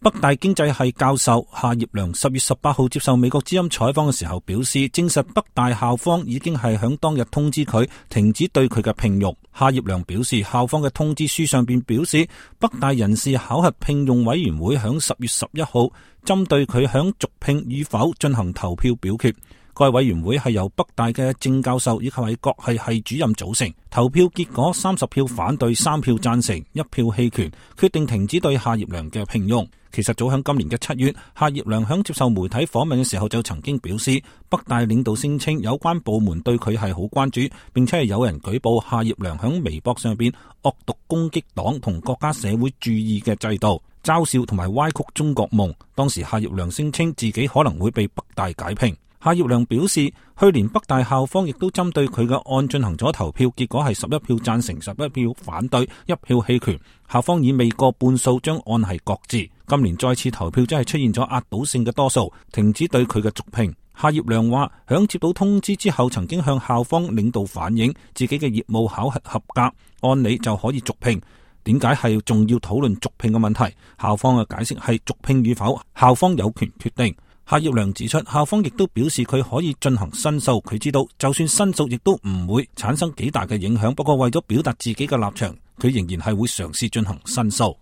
北大經濟系教授夏業良10月18號接受美國之音採訪嘅時候表示，證實北大校方已經係響當日通知佢停止對佢嘅聘用。夏業良表示，校方嘅通知書上邊表示，北大人事考核聘用委員會響10月11號針對佢響續聘與否進行投票表決。該委員會係由北大嘅正教授以及係各系系主任組成，投票結果30票反對，3票贊成，1票棄權，決定停止對夏業良嘅聘用。其實早響今年嘅7月，夏業良響接受媒體訪問嘅時候就曾經表示，北大領導聲稱有關部門對佢係好關注，並且係有人舉報夏業良響微博上邊惡毒攻擊黨同國家社會主義嘅制度，嘲笑同埋歪曲中國夢。當時夏業良聲稱自己可能會被北大解聘。夏業良表示，去年北大校方亦都針對佢嘅案進行咗投票，結果係11票贊成，11票反對，1票棄權。校方以未過半數將案係擱置。今年再次投票，真係出現咗壓倒性嘅多數，停止對佢嘅續聘。夏業良話，響接到通知之後，曾經向校方領導反映自己嘅業務考核合格，按理就可以續聘。點解係仲要討論續聘嘅問題？校方嘅解釋係續聘與否，校方有權決定。夏業良指出，校方亦都表示佢可以進行申訴，佢知道就算申訴亦都唔會產生幾大嘅影響，不過為咗表達自己嘅立場，佢仍然係會嘗試進行申訴。